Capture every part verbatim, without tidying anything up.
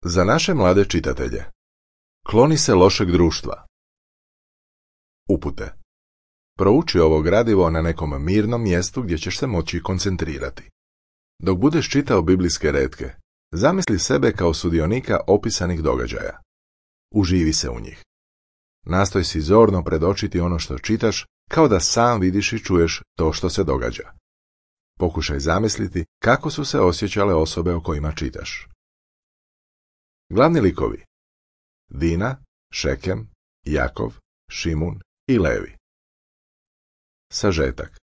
Za naše mlade čitatelje. Kloni se lošeg društva. Upute. Prouči ovo gradivo na nekom mirnom mjestu gdje ćeš se moći koncentrirati. Dok budeš čitao biblijske retke, zamisli sebe kao sudionika opisanih događaja. Uživi se u njih. Nastoj si zorno predočiti ono što čitaš, kao da sam vidiš i čuješ to što se događa. Pokušaj zamisliti kako su se osjećale osobe o kojima čitaš. Glavni likovi: Dina, Šekem, Jakov, Šimun i Levi. Sažetak.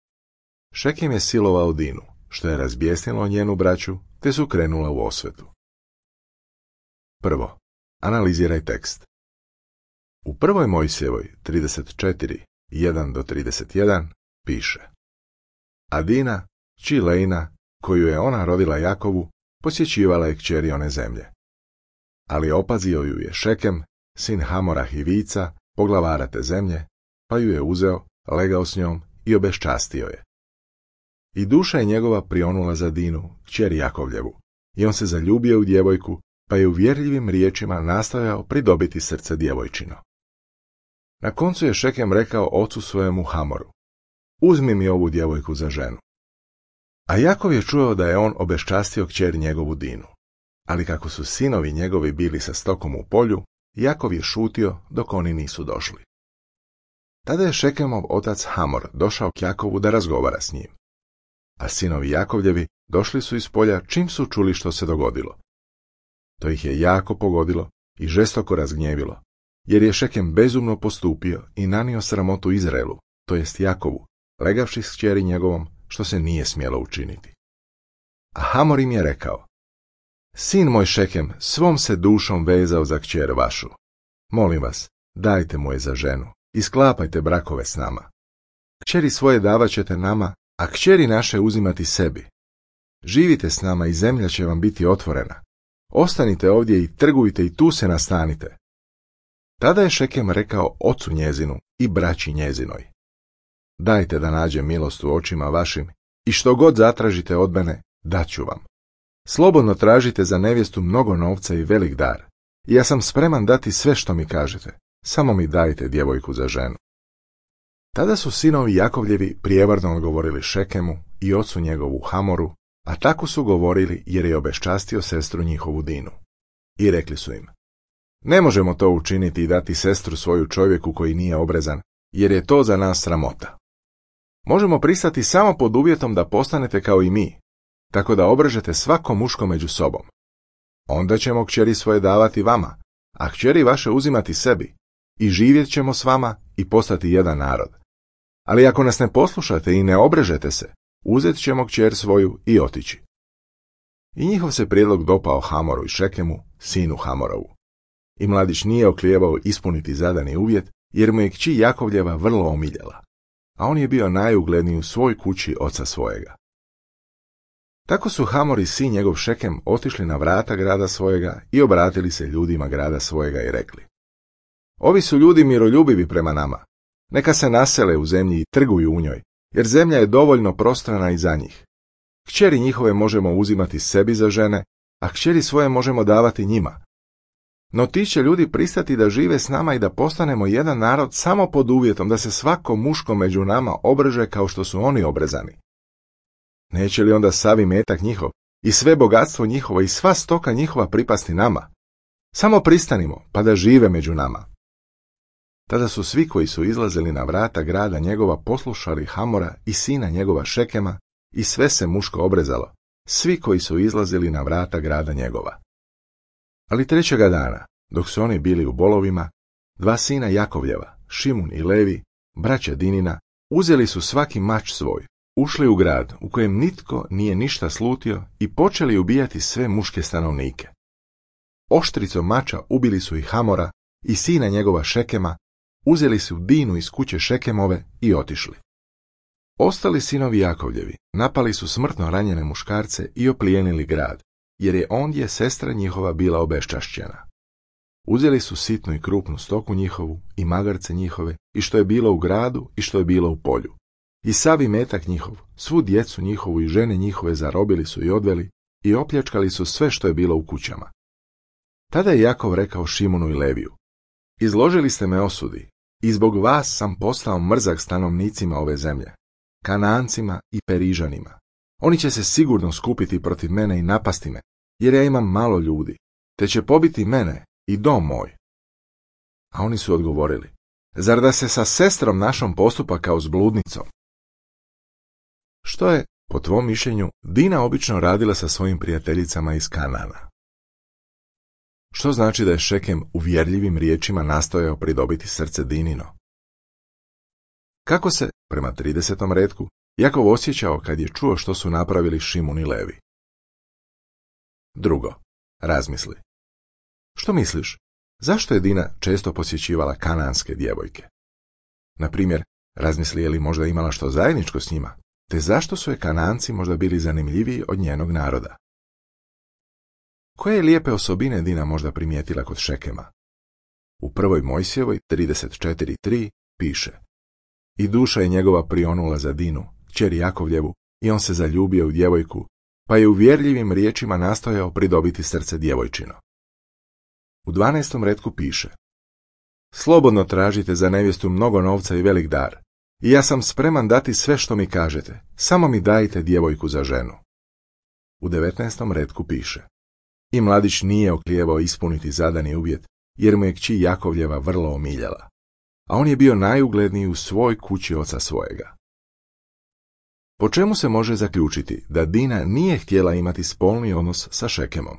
Šekem je silovao Dinu, što je razbjesnilo njenu braću, te su krenula u osvetu. Prvo, analiziraj tekst. U prvoj Mojsijevoj trideset četiri, jedan do trideset jedan piše: A Dina, kći Lejna, koju je ona rodila Jakovu, posjećivala je kćeri one zemlje. Ali opazio ju je Šekem, sin Hamora Hivica, poglavara te zemlje, pa ju je uzeo, legao s njom i obeščastio je. I duša je njegova prionula za Dinu, kćer Jakovljevu, i on se zaljubio u djevojku, pa je uvjerljivim riječima nastojao pridobiti srce djevojčino. Na koncu je Šekem rekao ocu svojemu Hamoru: Uzmi mi ovu djevojku za ženu. A Jakov je čuo da je on obeščastio kćer njegovu Dinu. Ali kako su sinovi njegovi bili sa stokom u polju, Jakov je šutio dok oni nisu došli. Tada je Šekemov otac Hamor došao k Jakovu da razgovara s njim. A sinovi Jakovljevi došli su iz polja čim su čuli što se dogodilo. To ih je jako pogodilo i žestoko razgnjevilo, jer je Šekem bezumno postupio i nanio sramotu Izraelu, to jest Jakovu, legavši s kćeri njegovom, što se nije smjelo učiniti. A Hamor im je rekao: Sin moj Šekem svom se dušom vezao za kćer vašu. Molim vas, dajte mu je za ženu i sklapajte brakove s nama. Kćeri svoje davat ćete nama, a kćeri naše uzimati sebi. Živite s nama i zemlja će vam biti otvorena. Ostanite ovdje i trgujte i tu se nastanite. Tada je Šekem rekao ocu njezinu i braći njezinoj: Dajte da nađem milost u očima vašim i što god zatražite od mene, daću vam. Slobodno tražite za nevjestu mnogo novca i velik dar, i ja sam spreman dati sve što mi kažete, samo mi dajte djevojku za ženu. Tada su sinovi Jakovljevi prijevarno odgovorili Šekemu i ocu njegovu Hamoru, a tako su govorili jer je obeščastio sestru njihovu Dinu. I rekli su im: Ne možemo to učiniti i dati sestru svoju čovjeku koji nije obrezan, jer je to za nas sramota. Možemo pristati samo pod uvjetom da postanete kao i mi, tako da obrežete svako muško među sobom. Onda ćemo kćeri svoje davati vama, a kćeri vaše uzimati sebi, i živjet ćemo s vama i postati jedan narod. Ali ako nas ne poslušate i ne obrežete se, uzet ćemo kćer svoju i otići. I njihov se prijedlog dopao Hamoru i Šekemu, sinu Hamorovu. I mladić nije oklijevao ispuniti zadani uvjet, jer mu je kći Jakovljeva vrlo omiljela, a on je bio najugledniji u svoj kući oca svojega. Tako su Hamor i sin njegov Šekem otišli na vrata grada svojega i obratili se ljudima grada svojega i rekli: Ovi su ljudi miroljubivi prema nama. Neka se nasele u zemlji i trguju u njoj, jer zemlja je dovoljno prostrana i za njih. Kćeri njihove možemo uzimati sebi za žene, a kćeri svoje možemo davati njima. No ti će ljudi pristati da žive s nama i da postanemo jedan narod samo pod uvjetom da se svako muško među nama obreže kao što su oni obrezani. Neće li onda sav imetak njihov i sve bogatstvo njihovo i sva stoka njihova pripasti nama? Samo pristanimo, pa da žive među nama. Tada su svi koji su izlazili na vrata grada njegova poslušali Hamora i sina njegova Šekema i sve se muško obrezalo, svi koji su izlazili na vrata grada njegova. Ali trećega dana, dok su oni bili u bolovima, dva sina Jakovljeva, Šimun i Levi, braća Dinina, uzeli su svaki mač svoj, ušli u grad u kojem nitko nije ništa slutio i počeli ubijati sve muške stanovnike. Oštricom mača ubili su i Hamora i sina njegova Šekema, uzeli su Dinu iz kuće Šekemove i otišli. Ostali sinovi Jakovljevi napali su smrtno ranjene muškarce i oplijenili grad, jer je ondje sestra njihova bila obeščašćena. Uzeli su sitnu i krupnu stoku njihovu i magarce njihove i što je bilo u gradu i što je bilo u polju. I sav imetak njihov, svu djecu njihovu i žene njihove zarobili su i odveli i opljačkali su sve što je bilo u kućama. Tada je Jakov rekao Šimunu i Leviju: Izložili ste me osudi, i zbog vas sam postao mrzak stanovnicima ove zemlje, Kanancima i Perižanima. Oni će se sigurno skupiti protiv mene i napasti me, jer ja imam malo ljudi, te će pobiti mene i dom moj. A oni su odgovorili: Zar da se sa sestrom našom postupa kao s bludnicom? Što je, po tvom mišljenju, Dina obično radila sa svojim prijateljicama iz Kanana? Što znači da je Šekem uvjerljivim riječima nastojao pridobiti srce Dinino? Kako se, prema tridesetom retku, Jakov osjećao kad je čuo što su napravili Šimun i Levi? Drugo, razmisli. Što misliš, zašto je Dina često posjećivala kananske djevojke? Na primjer, razmisli je li možda imala što zajedničko s njima, te zašto su je Kananci možda bili zanimljiviji od njenog naroda? Koje lijepe osobine Dina možda primijetila kod Šekema? U prvoj Mojsijevoj trideset četiri tri piše: I duša je njegova prionula za Dinu, kćer Jakovljevu, i on se zaljubio u djevojku, pa je uvjerljivim riječima nastojao pridobiti srce djevojčino. U dvanaestom retku piše: Slobodno tražite za nevjestu mnogo novca i velik dar, i ja sam spreman dati sve što mi kažete, samo mi dajte djevojku za ženu. U devetnaestom retku piše: I mladić nije oklijevao ispuniti zadani uvjet, jer mu je kći Jakovljeva vrlo omiljala, a on je bio najugledniji u svoj kući oca svojega. Po čemu se može zaključiti da Dina nije htjela imati spolni odnos sa Šekemom?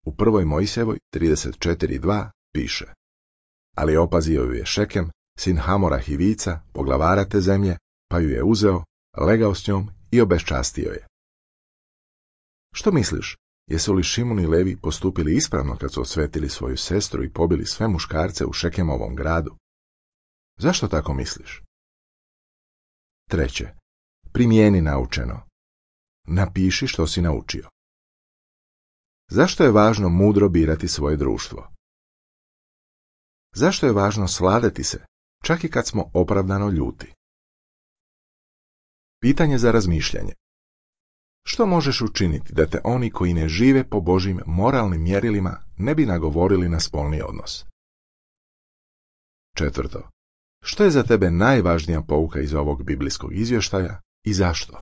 U prvoj Mojsijevoj trideset četiri dva piše: Ali opazio ju je Šekem, sin Hamora Hivica, poglavara te zemlje, pa ju je uzeo, legao s njom i obeščastio je. Što misliš, jesu li Šimun i Levi postupili ispravno kad su osvetili svoju sestru i pobili sve muškarce u Šekemovom gradu? Zašto tako misliš? Treće, primijeni naučeno. Napiši što si naučio. Zašto je važno mudro birati svoje društvo? Zašto je važno svladati se, čak i kad smo opravdano ljuti? Pitanje za razmišljanje. Što možeš učiniti da te oni koji ne žive po Božjim moralnim mjerilima ne bi nagovorili na spolni odnos? Četvrto. Što je za tebe najvažnija pouka iz ovog biblijskog izvještaja i zašto?